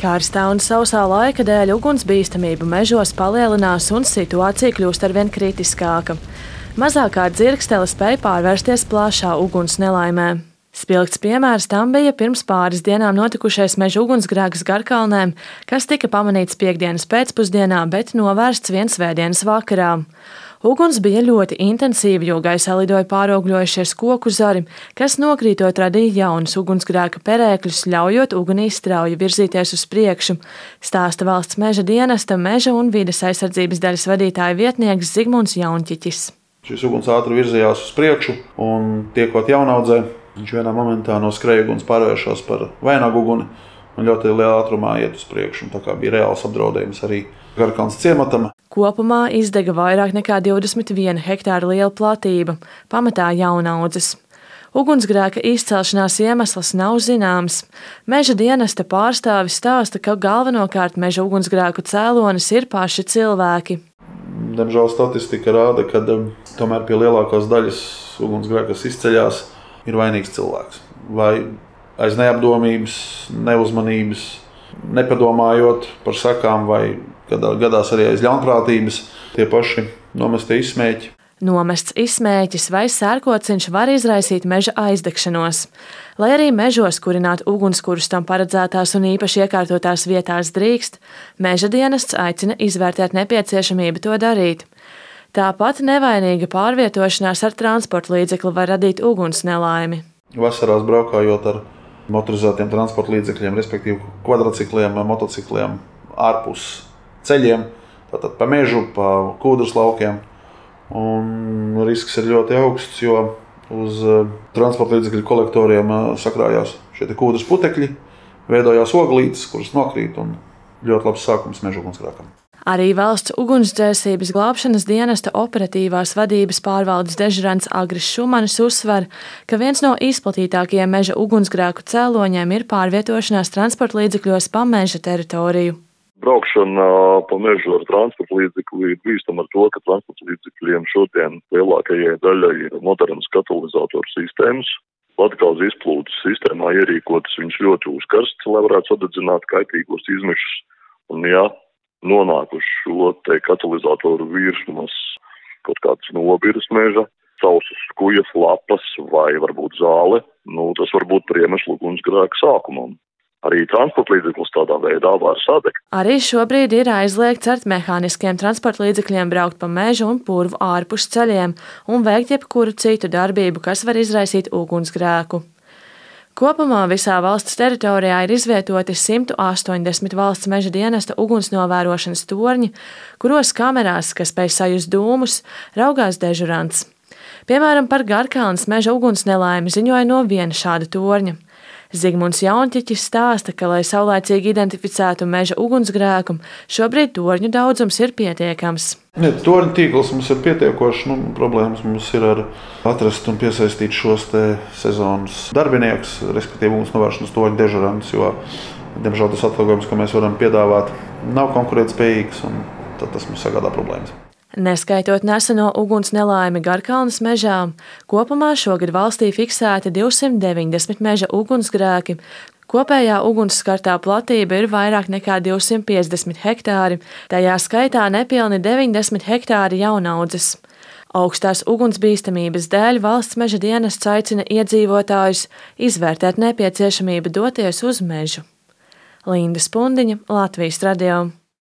Karstā un sausā laika dēļ ugunsbīstamība mežos palielinās un situācija kļūst arvien kritiskāka. Mazākā dzirkstele spēja pārvērsties plašā uguns nelaimē. Spilgts piemērs tam bija pirms pāris dienām notikušais meža ugunsgrēks Garkalnē, kas tika pamanīts piektdienas pēcpusdienā, bet novērsts vien svētdienas vakarā. Uguns bija ļoti intensīva, jo gaisā lidoja pāraugļojušies koku zari, kas nokrītot radīja jaunus ugunsgrēka perēkļus, ļaujot ugunī strauji virzīties uz priekšu, stāsta Valsts meža dienesta meža un vides aizsardzības daļas vadītāja vietnieks Zigmunds Jaunķiķis. Šis uguns ātri virzījās uz priekšu un tiekot jaunaudzē, viņš vienā momentā no skrējuguns pārvēršas par vainaguguni un ļoti lielā ātrumā iet uz priekšu. Tā kā bija reāls apdraudējums arī Garkalnes ciematam. Kopumā izdega vairāk nekā 21 hektāra liela platība, pamatā jaunaudzes. Ugunsgrēka izcelšanās iemesls nav zināms. Meža dienesta pārstāvis stāsta, ka galvenokārt meža ugunsgrēku cēlonis ir paši cilvēki. Diemžēl statistika rāda, ka tomēr pie lielākās daļas ugunsgrēka, kas izceļās, ir vainīgs cilvēks. Vai aiz neapdomības, neuzmanības, nepadomājot par sekām, vai gadās arī aiz ļaunprātības, tie paši nomestie izsmēķi. Nomests izsmēķis vai sērkociņš var izraisīt meža aizdegšanos. Lai arī mežos kurināt ugunskurus tam paredzētās un īpaši iekārtotās vietās drīkst, meža dienests aicina izvērtēt nepieciešamību to darīt. Tāpat nevainīga pārvietošanās ar transporta līdzekli var radīt uguns nelaimi. Vasarās braukājot ar motorizētiem transporta līdzekļiem, respektīvi kvadricikliem, motocikliem, ārpus ceļiem, tātad pa mežu, pa kūdras laukiem. Un risks ir ļoti augsts, jo uz transporta līdzekļu kolektoriem sakrājās šie kūdras putekļi, veidojās oglītes, kuras nokrīt, un ļoti labs sākums meža ugunsgrēkam. Arī Valsts ugunsdzēsības glābšanas dienesta operatīvās vadības pārvaldes dežurants Agris Šumanis uzsver, ka viens no izplatītākajiem meža ugunsgrēku cēloņiem ir pārvietošanās transporta līdzekļos pa meža teritoriju. Braukšana pa mežu ar transporta līdzekli ir bīstama ar to, ka transporta līdzekļiem šodien lielākajai daļai ir modernas katalizatoru sistēmas. Latgales izplūdes sistēmā ierīkotas viņš ļoti uzkarsts, lai varētu sadedzināt kaitīgos izmešus. Un ja nonāk uz šo katalizatoru virsmas kaut kādas nobiras meža, sausas skujas, lapas vai varbūt zāle, tas var būt par iemeslu ugunsgrēka sākumam. Arī transporta līdzeklis tādā veidā var sadegt. Arī šobrīd ir aizliegts ar mehāniskiem transporta līdzekļiem braukt pa mežu un purvu ārpus ceļiem un veikt jebkuru citu darbību, kas var izraisīt ugunsgrēku. Kopumā visā valsts teritorijā ir izvietoti 180 valsts meža dienesta ugunsnovērošanas torņi, kuros kamerās, kas spēj sajust dūmus, raugās dežurants. Piemēram, par Garkalnes meža uguns nelaimi ziņoja no viena šāda torņa. Zigmunds Jaunķiķis stāsta, ka, lai saulaicīgi identificētu meža ugunsgrēku, šobrīd torņu daudzums ir pietiekams. Torņu tīkls mums ir pietiekošs. Problēmas mums ir ar atrast un piesaistīt šos sezonas darbiniekus, respektīvi ugunsnovēršanas torņu dežurantus, jo, diemžēl, tas atalgojums, ko mēs varam piedāvāt, nav konkurētspējīgs, un tad tas mums sagādā problēmas. Neskaitot neseno uguns nelaimi Garkalnes mežā, kopumā šogad valstī fiksēti 290 meža ugunsgrēki. Kopējā ugunsskartā platība ir vairāk nekā 250 hektāri, tajā skaitā nepilni 90 hektāri jaunaudzes. Augstās ugunsbīstamības dēļ Valsts meža dienests aicina iedzīvotājus izvērtēt nepieciešamību doties uz mežu. Linda Spundiņa, Latvijas radio.